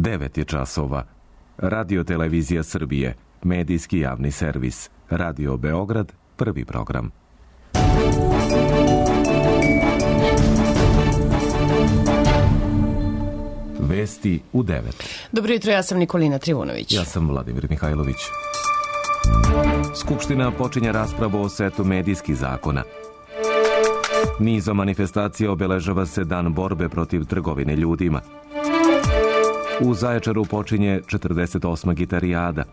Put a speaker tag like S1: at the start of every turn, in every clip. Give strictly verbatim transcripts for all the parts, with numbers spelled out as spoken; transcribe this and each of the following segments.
S1: devet je časova. Radio Televizija Srbije, medijski javni servis. Radio Beograd, prvi program. Vesti u devet.
S2: Dobro jutro, ja sam Nikolina Trivunović.
S1: Ja sam Vladimir Mihajlović. Skupština počinje raspravu o setu medijskih zakona. Nizom manifestacija obeležava se dan borbe protiv trgovine ljudima. U Zaječaru počinje četrdeset osma gitarijada.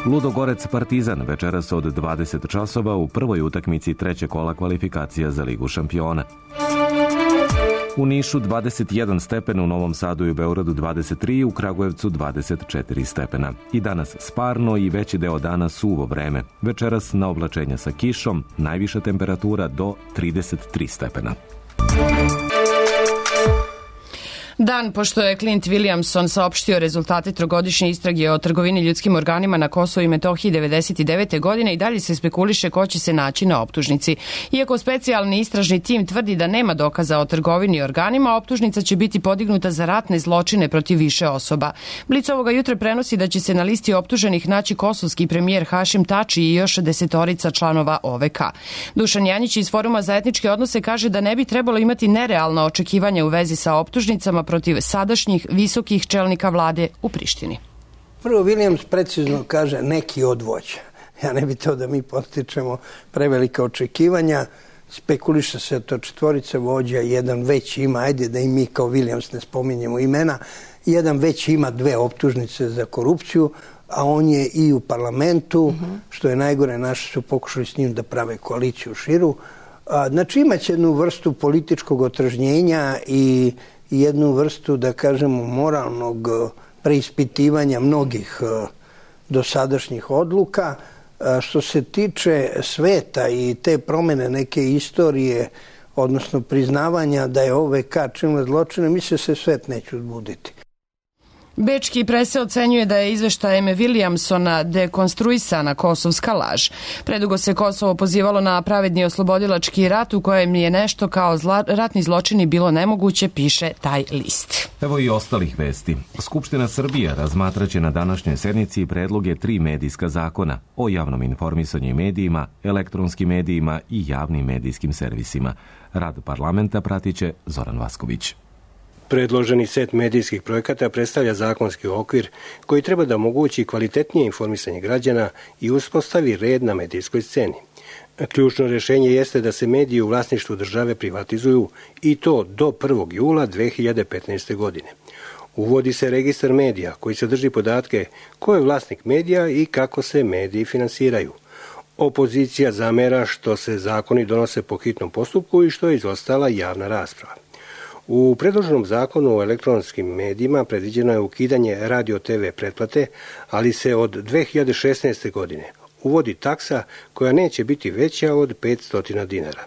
S1: Ludogorec Partizan večeras od dvadeset časova u prvoj utakmici trećeg kola kvalifikacija za Ligu šampiona. U Nišu dvadeset jedan stepen, u Novom Sadu i u Beogradu dvadeset tri, u Kragujevcu dvadeset četiri stepena. I danas sparno i veći deo dana suvo vreme. Večeras na oblačenja sa kišom, najviša temperatura do trideset tri stepena.
S2: Dan pošto je Clint Williamson saopštio rezultate trogodišnje istrage o trgovini ljudskim organima na Kosovu i Metohiji devedeset devete. godine i dalje se spekuliše ko će se naći na optužnici. Iako specijalni istražni tim tvrdi da nema dokaza o trgovini organima, optužnica će biti podignuta za ratne zločine protiv više osoba. Blic ovoga jutra prenosi da će se na listi optuženih naći kosovski premijer Hašim Tači i još desetorica članova O V K. Dušan Janjić iz Foruma za etničke odnose kaže da ne bi trebalo imati nerealna očekivanja u vezi sa optužnicama protiv sadašnjih visokih čelnika vlade u Prištini.
S3: Prvo, Williams precizno kaže neki od vođa. Ja ne bi to da mi postičemo prevelika očekivanja. Spekuliše se to četvorica vođa, jedan već ima, ajde da i mi kao Williams ne spominjemo imena, jedan već ima dve optužnice za korupciju, a on je i u parlamentu, mm-hmm. što je najgore, naši su pokušali s njim da prave koaliciju širu. Znači imaće jednu vrstu političkog otržnjenja i jednu vrstu, da kažemo, moralnog preispitivanja mnogih dosadašnjih odluka. Što se tiče sveta i te promene neke istorije, odnosno priznavanja da je O V K činila zločine, mislim se svet neće uzbuditi.
S2: Bečki prese ocenjuje da je izveštajem Williamsona dekonstruisana kosovska laž. Predugo se Kosovo pozivalo na pravedni oslobodilački rat u kojem je nešto kao zla, ratni zločini bilo nemoguće, piše taj list.
S1: Evo i ostalih vesti. Skupština Srbije razmatraće na današnjoj sednici predloge tri medijska zakona o javnom informisanju i medijima, elektronskim medijima i javnim medijskim servisima. Rad parlamenta pratiće Zoran Vasković.
S4: Predloženi set medijskih projekata predstavlja zakonski okvir koji treba da omogući kvalitetnije informisanje građana i uspostavi red na medijskoj sceni. Ključno rješenje jeste da se mediji u vlasništvu države privatizuju i to do prvog jula dve hiljade petnaeste. godine. Uvodi se registar medija koji sadrži podatke ko je vlasnik medija i kako se mediji finansiraju. Opozicija zamera što se zakoni donose po hitnom postupku i što je izostala javna rasprava. U predloženom zakonu o elektronskim medijima predviđeno je ukidanje radio-te ve pretplate, ali se od dve hiljade šesnaeste. godine uvodi taksa koja neće biti veća od petsto dinara.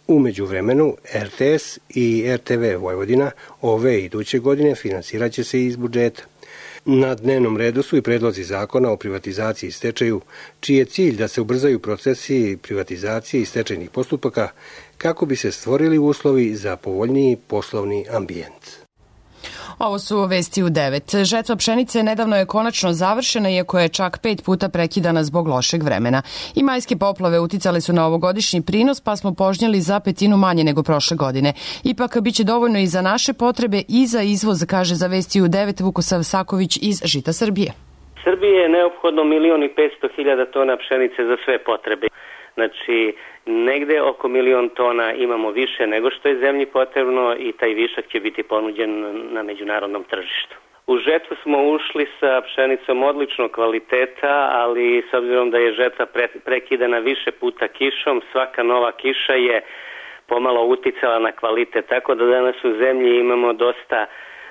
S4: U međuvremenu er te es i er te ve Vojvodina ove iduće godine finansirat će se iz budžeta. Na dnevnom redu su i predlozi zakona o privatizaciji i stečaju, čiji je cilj da se ubrzaju procesi privatizacije i stečajnih postupaka kako bi se stvorili uslovi za povoljniji poslovni ambijent.
S2: Ovo su vesti u devet. Žetva pšenice nedavno je konačno završena, iako je čak pet puta prekidana zbog lošeg vremena. I majske poplave uticale su na ovogodišnji prinos, pa smo požnjeli za petinu manje nego prošle godine. Ipak biće dovoljno i za naše potrebe i za izvoz, kaže za vesti u devet Vukosav Saković iz Žita Srbije.
S5: Srbije je neophodno milion i petsto hiljada tona pšenice za sve potrebe. Znači, negde oko milion tona imamo više nego što je zemlji potrebno i taj višak će biti ponuđen na međunarodnom tržištu. U žetvu smo ušli sa pšenicom odličnog kvaliteta, ali s obzirom da je žetva pre, prekidana više puta kišom, svaka nova kiša je pomalo uticala na kvalitet, tako da danas u zemlji imamo dosta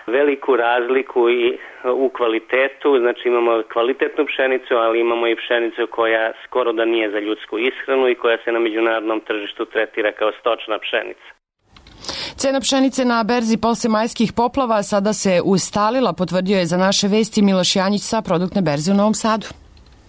S5: veliku razliku i u kvalitetu, znači imamo kvalitetnu pšenicu, ali imamo i pšenicu koja skoro da nije za ljudsku ishranu i koja se na međunarodnom tržištu tretira kao stočna pšenica.
S2: Cena pšenice na berzi posle majskih poplava sada se ustalila, potvrdio je za naše vesti Miloš Janjić sa produktne berze u Novom Sadu.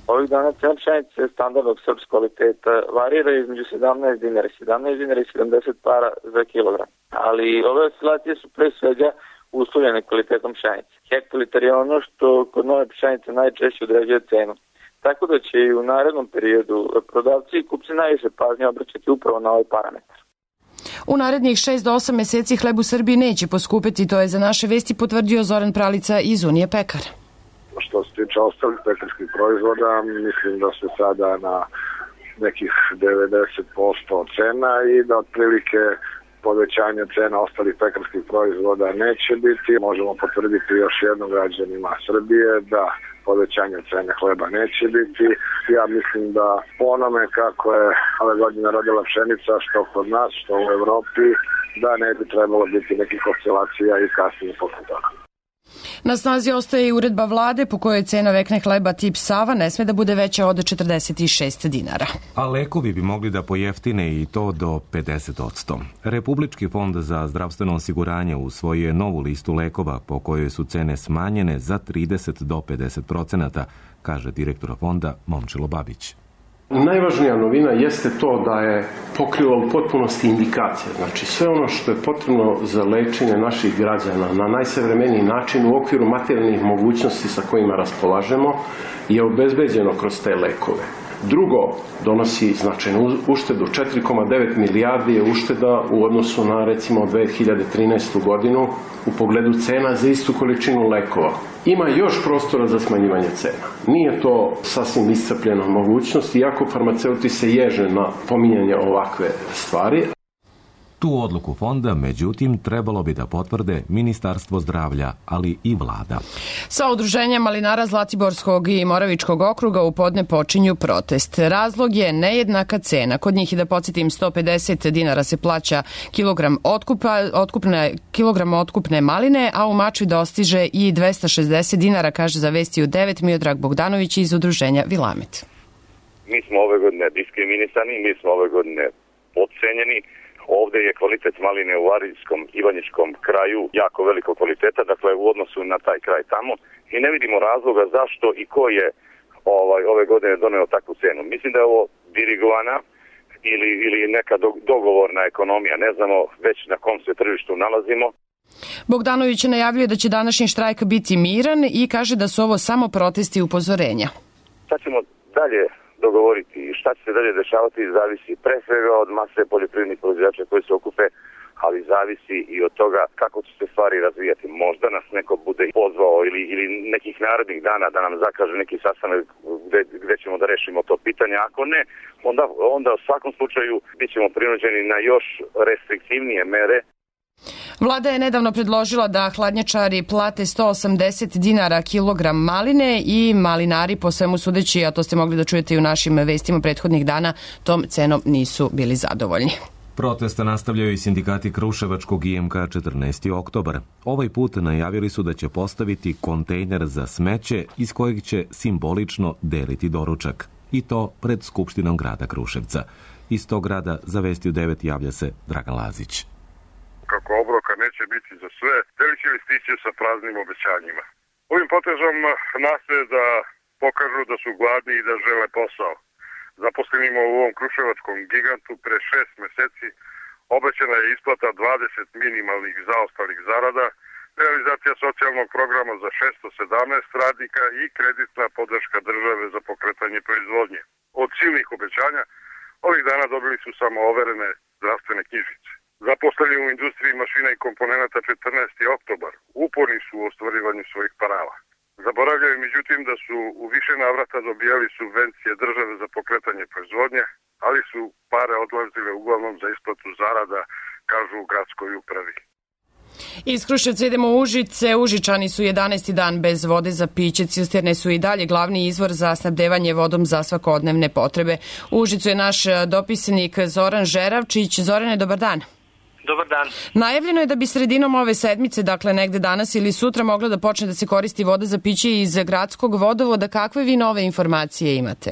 S6: Ovih dana cena pšenice standardnog srpskog kvaliteta varira između sedamnaest dinara, sedamnaest dinara i sedamdeset para za kilogram. Ali ove oscilacije su pre svega uslovljene kvalitetom pšenice. Hektolitar je ono što kod nove pšenice najčešće određuje cenu. Tako da će i u narednom periodu prodavci i kupci najviše pažnje obraćati upravo na ovaj parametar.
S2: U narednih šest do osam meseci hleb u Srbiji neće poskupiti, to je za naše vesti potvrdio Zoran Pralica iz Unije pekara.
S7: Što se tiče ostalih pekarskih proizvoda, mislim da se sada na nekih devedeset posto cena i da otprilike povećanje cena ostalih pekarskih proizvoda neće biti. Možemo potvrditi još jednom građanima Srbije da povećanje cene hleba neće biti. Ja mislim da po onome kako je ove godine rodila pšenica, što kod nas, što u Evropi, da ne bi trebalo biti nekih oscilacija i kasnije posle toga.
S2: Na snazi ostaje i uredba vlade po kojoj cena vekne hleba tip Sava ne sme da bude veća od četrdeset šest dinara.
S1: A lekovi bi mogli da pojeftine i to do pedeset posto. Republički fond za zdravstveno osiguranje usvojio je novu listu lekova po kojoj su cene smanjene za trideset do pedeset procenata, kaže direktor fonda Momčilo Babić.
S8: Najvažnija novina jeste to da je pokrila u potpunosti indikacije. Znači sve ono što je potrebno za lečenje naših građana na najsavremeniji način u okviru materijalnih mogućnosti sa kojima raspolažemo je obezbeđeno kroz te lekove. Drugo, donosi značajnu uštedu. četiri zarez devet milijardi je ušteda u odnosu na recimo dve hiljade trinaestu godinu u pogledu cena za istu količinu lekova. Ima još prostora za smanjivanje cena. Nije to sasvim iscrpljena mogućnost, iako farmaceuti se ježe na pominjanje ovakve stvari.
S1: Tu odluku fonda, međutim, trebalo bi da potvrde Ministarstvo zdravlja, ali i vlada.
S2: Sa udruženja malinara Zlatiborskog i Moravičkog okruga u podne počinju protest. Razlog je nejednaka cena. Kod njih, i da podsjetim, sto pedeset dinara se plaća kilogram otkupa, otkupne, kilogram otkupne maline, a u Mačvi dostiže i dvesta šezdeset dinara, kaže za Vesti u devet Miodrag Bogdanović iz udruženja Vilamet.
S9: Mi smo ove godine diskriminisani, mi smo ove godine podcenjeni. Ovde je kvalitet maline u Varijskom i Ivanjičkom kraju jako veliko kvaliteta, dakle u odnosu na taj kraj tamo, i ne vidimo razloga zašto i ko je ovaj, ove godine doneo takvu cenu. Mislim da je ovo dirigovana ili, ili neka dogovorna ekonomija, ne znamo već na kom se tržištu nalazimo.
S2: Bogdanović najavljuje da će današnji štrajk biti miran i kaže da su ovo samo protesti i upozorenja.
S9: Sad ćemo dalje dogovoriti i šta će se dalje dešavati zavisi pre svega od mase poljoprivrednih proizvođača koji se okupe, ali zavisi i od toga kako će se stvari razvijati. Možda nas neko bude pozvao ili, ili nekih narednih dana da nam zakaže neki sastanak gde, gde ćemo da rešimo to pitanje. Ako ne, onda, onda u svakom slučaju bit ćemo prinuđeni na još restriktivnije mere.
S2: Vlada je nedavno predložila da hladnjačari plate sto osamdeset dinara kilogram maline i malinari, po svemu sudeći, a to ste mogli da čujete i u našim vestima prethodnih dana, tom cenom nisu bili zadovoljni.
S1: Protesta nastavljaju i sindikati Kruševačkog I M K četrnaesti oktobar. Ovaj put najavili su da će postaviti kontejner za smeće iz kojeg će simbolično deliti doručak. I to pred Skupštinom grada Kruševca. Iz tog grada za Vesti u devet javlja se Dragan Lazić.
S10: Kako obroka neće biti za sve, delići listiće sa praznim obećanjima. Ovim potezom nastoje da pokažu da su gladni i da žele posao. Zaposlenima u ovom kruševačkom gigantu pre šest meseci obećana je isplata dvadeset minimalnih zaostalih zarada, realizacija socijalnog programa za šesto sedamnaest radnika i kreditna podrška države za pokretanje proizvodnje. Od silnih obećanja ovih dana dobili su samo overene zdravstvene knjižice. Zaposleni u industriji mašina i komponenata četrnaesti oktobar uporni su u ostvarivanju svojih prava. Zaboravljaju međutim da su u više navrata dobijali subvencije države za pokretanje proizvodnje, ali su pare odlazile uglavnom za isplatu zarada, kažu u gradskoj upravi.
S2: Iz Kruševca idemo u Užice. Užičani su jedanaesti dan bez vode za piće. Cisterne su i dalje glavni izvor za snabdevanje vodom za svakodnevne potrebe. U Užicu je naš dopisnik Zoran Žeravčić. Zorane, dobar dan.
S11: Dobar dan.
S2: Najavljeno je da bi sredinom ove sedmice, dakle negde danas ili sutra, mogla da počne da se koristi voda za piće iz gradskog vodovoda. Kakve vi nove informacije imate?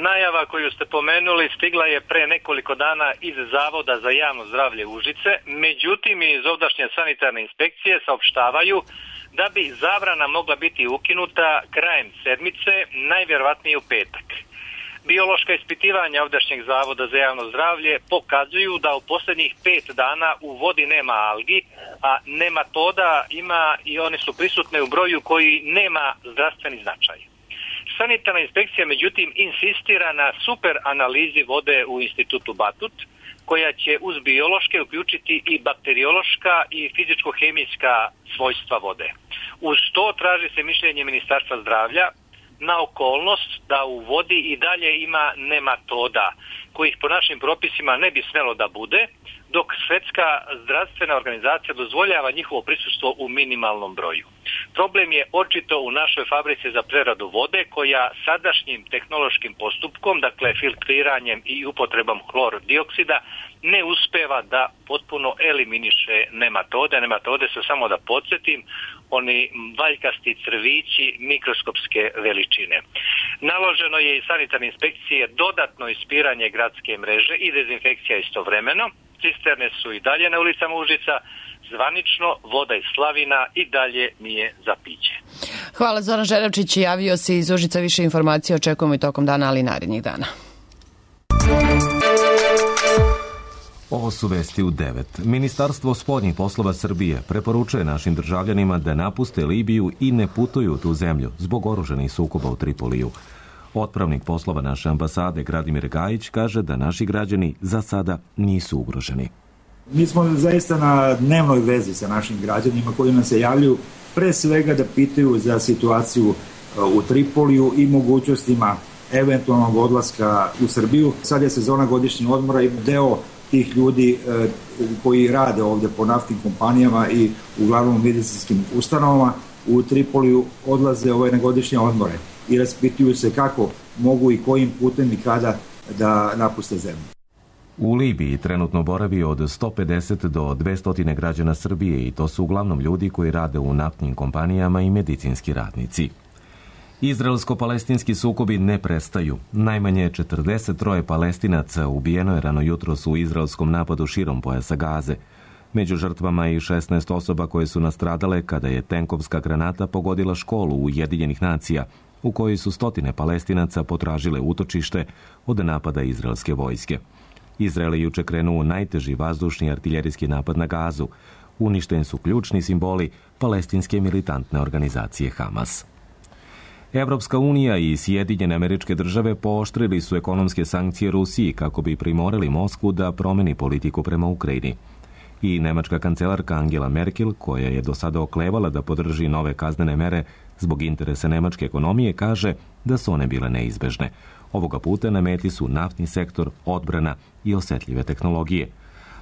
S11: Najava koju ste pomenuli stigla je pre nekoliko dana iz Zavoda za javno zdravlje Užice. Međutim, iz ovdašnje sanitarne inspekcije saopštavaju da bi zabrana mogla biti ukinuta krajem sedmice, najvjerovatnije u petak. Biološka ispitivanja ovdašnjeg Zavoda za javno zdravlje pokazuju da u posljednjih pet dana u vodi nema algi, a nematoda ima i one su prisutne u broju koji nema zdravstveni značaj. Sanitarna inspekcija međutim insistira na super analizi vode u institutu Batut, koja će uz biološke uključiti i bakteriološka i fizičko-hemijska svojstva vode. Uz to traži se mišljenje Ministarstva zdravlja na okolnost da u vodi i dalje ima nematoda, kojih po našim propisima ne bi smjelo da bude, dok Svjetska zdravstvena organizacija dozvoljava njihovo prisustvo u minimalnom broju. Problem je očito u našoj fabrici za preradu vode, koja sadašnjim tehnološkim postupkom, dakle filtriranjem i upotrebom hlor-dioksida, ne uspeva da potpuno eliminiše nematode. Nematode su, samo da podsjetim, oni valjkasti crvići mikroskopske veličine. Naloženo je i sanitarne inspekcije dodatno ispiranje gradske mreže i dezinfekcija istovremeno. Cisterne su i dalje na ulicama Užica. Zvanično voda iz slavina i dalje nije za piće.
S2: Hvala, Zoran Žeravčić, javio se iz Užica. Više informacija očekujemo i tokom dana, ali i narednih dana.
S1: Ovo su vesti u devet. Ministarstvo spoljnih poslova Srbije preporučuje našim državljanima da napuste Libiju i ne putuju u tu zemlju zbog oružanih sukoba u Tripoliju. Otpravnik poslova naše ambasade Gradimir Gajić kaže da naši građani za sada nisu ugroženi.
S12: Mi smo zaista na dnevnoj vezi sa našim građanima koji nam se javljaju pre svega da pitaju za situaciju u Tripoliju i mogućnostima eventualnog odlaska u Srbiju. Sad je sezona godišnjih odmora i deo tih ljudi koji rade ovdje po naftnim kompanijama i uglavnom medicinskim ustanovama u Tripoliju odlaze ove na godišnje odmore i raspituju se kako mogu i kojim putem i kada da napuste zemlju.
S1: U Libiji trenutno boravi od sto pedeset do dvesta građana Srbije i to su uglavnom ljudi koji rade u naftnim kompanijama i medicinski radnici. Izraelsko-palestinski sukobi ne prestaju. Najmanje četrdeset troje Palestinaca ubijeno je rano jutros u izraelskom napadu širom pojasa Gaze. Među žrtvama i šesnaest osoba koje su nastradale kada je tenkovska granata pogodila školu Ujedinjenih nacija, u kojoj su stotine Palestinaca potražile utočište od napada izraelske vojske. Izrael je juče krenuo u najteži vazdušni artiljerijski napad na Gazu. Uništeni su ključni simboli palestinske militantne organizacije Hamas. Evropska unija i Sjedinjene Američke Države pooštrili su ekonomske sankcije Rusiji kako bi primorali Moskvu da promeni politiku prema Ukrajini. I nemačka kancelarka Angela Merkel, koja je do sada oklevala da podrži nove kaznene mere zbog interesa nemačke ekonomije, kaže da su one bile neizbežne. Ovoga puta na meti su naftni sektor, odbrana i osetljive tehnologije.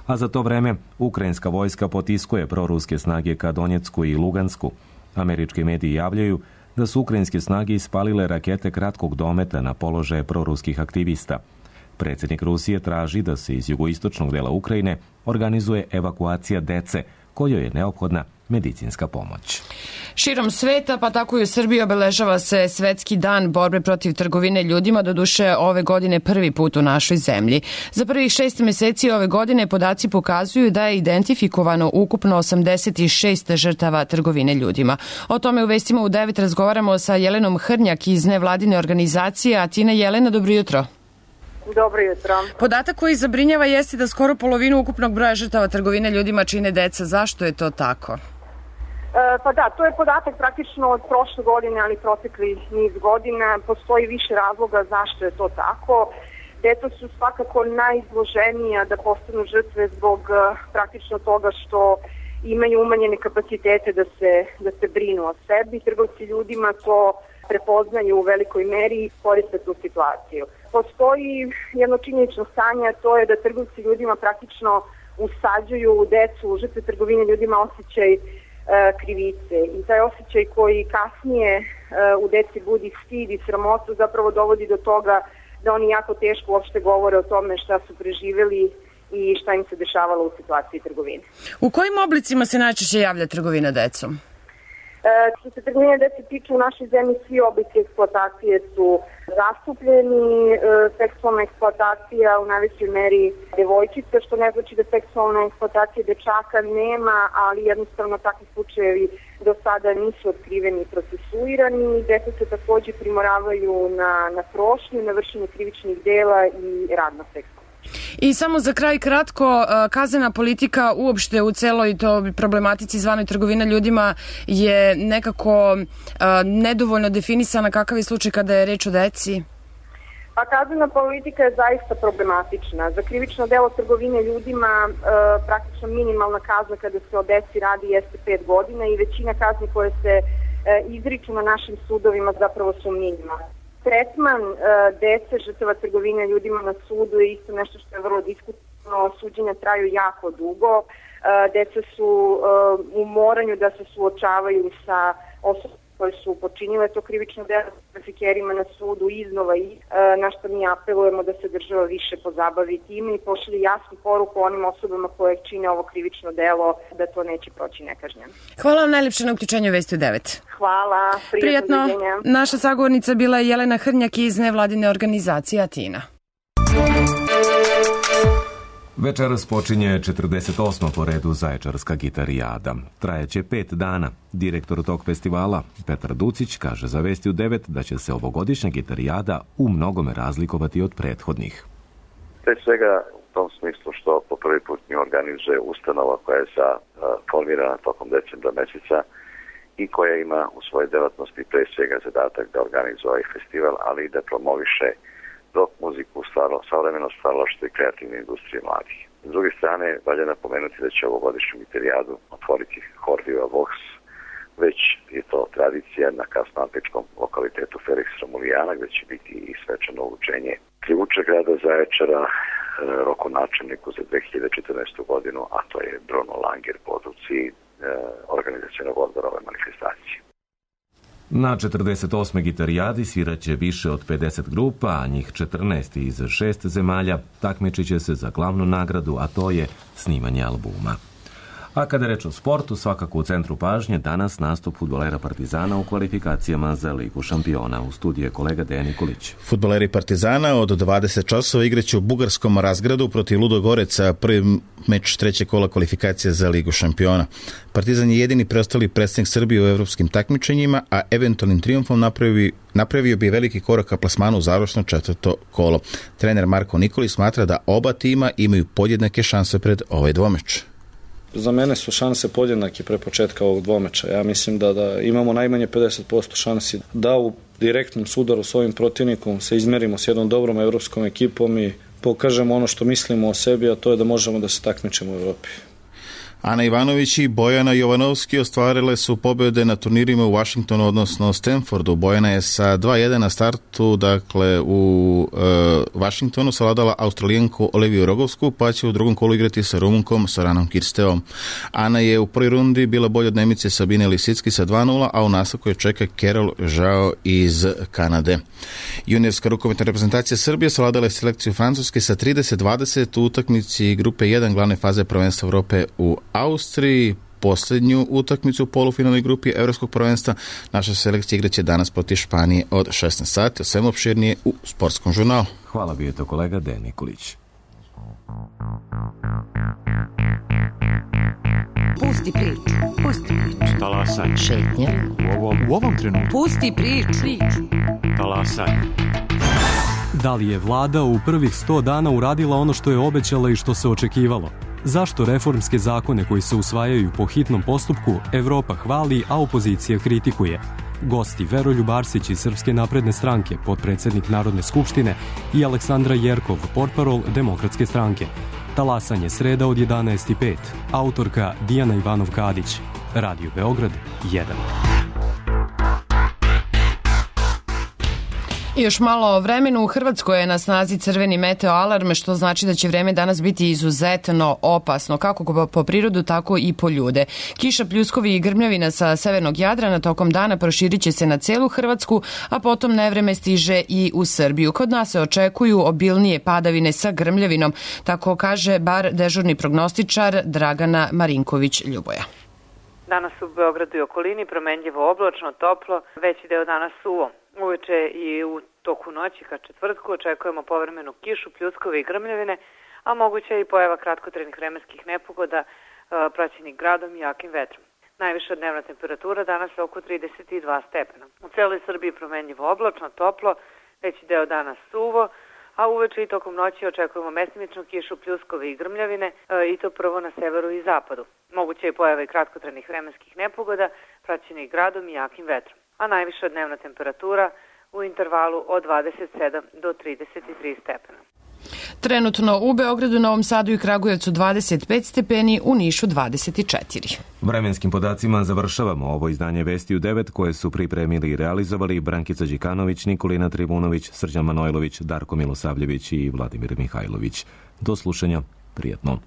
S1: A za to vreme ukrajinska vojska potiskuje proruske snage ka Donjecku i Lugansku. Američki mediji javljaju da su ukrajinske snage ispalile rakete kratkog dometa na položaje proruskih aktivista. Predsjednik Rusije traži da se iz jugoistočnog dela Ukrajine organizuje evakuacija dece, kojoj je neophodna medicinska pomoć.
S2: Širom sveta, pa tako i u Srbiji, obeležava se Svetski dan borbe protiv trgovine ljudima, doduše ove godine prvi put u našoj zemlji. Za prvih šest mjeseci ove godine podaci pokazuju da je identifikovano ukupno osamdeset šest žrtava trgovine ljudima. O tome u vestima u devet razgovaramo sa Jelenom Hrnjak iz nevladine organizacije Atina. Jelena, dobro jutro.
S13: Dobro jutro.
S2: Podatak koji zabrinjava jeste da skoro polovinu ukupnog broja žrtava trgovine ljudima čine deca. Zašto je to tako?
S13: E, pa da, to je podatak praktično od prošle godine, ali protekli niz godina. Postoji više razloga zašto je to tako. Deca su svakako najizloženija da postanu žrtve zbog praktično toga što imaju umanjene kapacitete da se, da se brinu o sebi. Trgovci ljudima to prepoznaju u velikoj meri i koriste tu situaciju. Postoji jedno činjenično stanje, a to je da trgovci ljudima praktično usađuju u decu, u žrtve trgovine ljudima osjećaj e, krivice. I taj osjećaj koji kasnije e, u deci budi stid i sramotu zapravo dovodi do toga da oni jako teško uopšte govore o tome šta su preživjeli i šta im se dešavalo u situaciji trgovine.
S2: U kojim oblicima se najčešće javlja trgovina decom?
S13: Što se trgovine dece tiče, u našoj zemlji svi oblici eksploatacije su zastupljeni. Seksualna eksploatacija u najvećoj meri devojčica, što ne znači da seksualna eksploatacija dečaka nema, ali jednostavno takvi slučajevi do sada nisu otkriveni i procesuirani. Deca se takođe primoravaju na, na prošnju, na vršenje krivičnih dela i rad na seksu.
S2: I samo za kraj kratko, kaznena politika uopšte u celoj to problematici zvanoj trgovina ljudima je nekako nedovoljno definisana. Kakav je slučaj kada je reč o deci?
S13: Pa kaznena politika je zaista problematična. Za krivično delo trgovine ljudima praktično minimalna kazna kada se o deci radi jeste pet godina i većina kazni koje se izriču na našim sudovima zapravo su minimalne. Tretman uh, dece žrtava trgovine ljudima na sudu je isto nešto što je vrlo diskutno. Suđenja traju jako dugo. Uh, deca su uh, u moranju da se suočavaju sa osobama koje su počinile to krivično delo s trafikerima na sudu iznova i uh, na što mi apelujemo da se država više pozabavi time i pošalje jasnu poruku onim osobama koje čine ovo krivično delo da to neće proći nekažnjeno.
S2: Hvala vam najlepše na uključenju Vesti u devet.
S13: Hvala.
S2: Prijatno. Naša sagovornica bila je Jelena Hrnjak iz nevladine organizacije Atina.
S1: Večeras počinje četrdeset osma po redu Zaječarska gitarijada. Trajeće pet dana. Direktor tog festivala, Petar Ducić, kaže za Vesti u devet da će se ovogodišnja gitarijada u mnogome razlikovati od prethodnih.
S14: Pre svega u tom smislu što po prvi put nju organizuje ustanova koja je sa, uh, formirana tokom decembra meseca i koja ima u svojoj delatnosti pre svega zadatak da organizuje ovaj festival, ali i da promoviše rock muziku, stvarno, savremeno stvaralaštvo i kreativne industrije mladih. S druge strane, valja napomenuti da će ovogodišnju gitarijadu otvoriti hor Viva Vox, već je to tradicija na kasnoantičkom lokalitetu Felix Romulijana, gde će biti i svečano učenje krivuča grada Zaječara, rokonačelniku za dve hiljade četrnaestu godinu, a to je Bruno Langer po odluci e, organizacionog odbora ove manifestacije.
S1: Na četrdeset osmoj gitarijadi sviraće više od pedeset grupa, a njih četrnaest iz šest zemalja takmičit će se za glavnu nagradu, a to je snimanje albuma. A kada je reč o sportu, svakako u centru pažnje danas nastup fudbalera Partizana u kvalifikacijama za Ligu šampiona. U studiju je kolega Dejan Nikolić.
S15: Fudbaleri Partizana od dvadeset časova igraće u bugarskom Razgradu protiv Ludogoreca, prvi meč trećeg kola kvalifikacije za Ligu šampiona. Partizan je jedini preostali predstavnik Srbije u evropskim takmičenjima, a eventualnim trijumfom napravi, napravio bi veliki korak ka plasmanu u završno četvrto kolo. Trener Marko Nikolić smatra da oba tima imaju podjednake šanse pred ovaj dvomeč.
S16: Za mene su šanse podjednake pre početka ovog dvomeča. Ja mislim da, da imamo najmanje pedeset posto šansi da u direktnom sudaru s ovim protivnikom se izmerimo s jednom dobrom evropskom ekipom i pokažemo ono što mislimo o sebi, a to je da možemo da se takmičimo u Evropi.
S15: Ana Ivanović i Bojana Jovanovski ostvarile su pobjede na turnirima u Washingtonu, odnosno Stanfordu. Bojana je sa dva jedan na startu, dakle u e, Washingtonu savladala Australijanku Oliviju Rogovsku, pa će u drugom kolu igrati sa Rumunkom Soranom Kirsteom. Ana je u prvoj rundi bila bolja od Nemice Sabine Lisicki sa dva nula, a u nastavku je čeka Carol Žao iz Kanade. Juniorska rukometna reprezentacija Srbije savladala je selekciju Francuske sa trideset dvadeset u utakmici grupe jedan glavne faze prvenstva Evrope u Austriji. Posljednju utakmicu u polufinalnoj grupi Evropskog prvenstva naša selekcija igraće danas protiv Španije od šesnaest sati, o svemu opširnije u Sportskom žurnalu.
S1: Hvala, bio je to kolega Dejan Nikolić.
S17: Pusti priču, pusti priču.
S18: Talasaj.
S17: Šetnje.
S18: U ovom, u ovom trenutku.
S17: Pusti priču.
S18: Talasaj. Da li je vlada u prvih sto dana uradila ono što je obećala i što se očekivalo? Zašto reformske zakone koji se usvajaju po hitnom postupku Evropa hvali, a opozicija kritikuje? Gosti Veroljub Arsić iz Srpske napredne stranke, potpredsednik Narodne skupštine, i Aleksandra Jerkov, portparol Demokratske stranke. Talasanje sreda od jedanaest i pet. Autorka Dijana Ivanov-Kadić. Radio Beograd jedan.
S2: I još malo o vremenu. U Hrvatskoj je na snazi crveni meteo alarm, što znači da će vreme danas biti izuzetno opasno, kako po prirodu, tako i po ljude. Kiša, pljuskovi i grmljavina sa severnog Jadrana tokom dana proširit će se na celu Hrvatsku, a potom nevreme stiže i u Srbiju. Kod nas se očekuju obilnije padavine sa grmljavinom, tako kaže bar dežurni prognostičar Dragana Marinković-Ljuboja.
S19: Danas u Beogradu i okolini promenljivo oblačno, toplo, veći deo dana suvo. Uveče i u toku noći ka četvrtku očekujemo povremenu kišu, pljuskove i grmljavine, a moguće i pojava kratkotrajnih vremenskih nepogoda praćenih gradom i jakim vetrom. Najviša dnevna temperatura danas je oko trideset dva stepena. U celoj Srbiji promenljivo oblačno, toplo, veći deo dana suvo, a uveče i tokom noći očekujemo mestimičnu kišu, pljuskove i grmljavine i to prvo na severu i zapadu. Moguće je pojava i kratkotrajnih vremenskih nepogoda praćenih gradom i jakim vetrom. A najviša dnevna temperatura u intervalu od dvadeset sedam do trideset tri stepena.
S2: Trenutno u Beogradu, Novom Sadu i Kragujevcu dvadeset pet stepeni, u Nišu dvadeset četiri.
S1: Vremenskim podacima završavamo ovo izdanje Vesti u devet koje su pripremili i realizovali Brankica Đikanović, Nikolina Trivunović, Srđan Manojlović, Darko Milosavljević i Vladimir Mihajlović. Do slušanja, prijatno.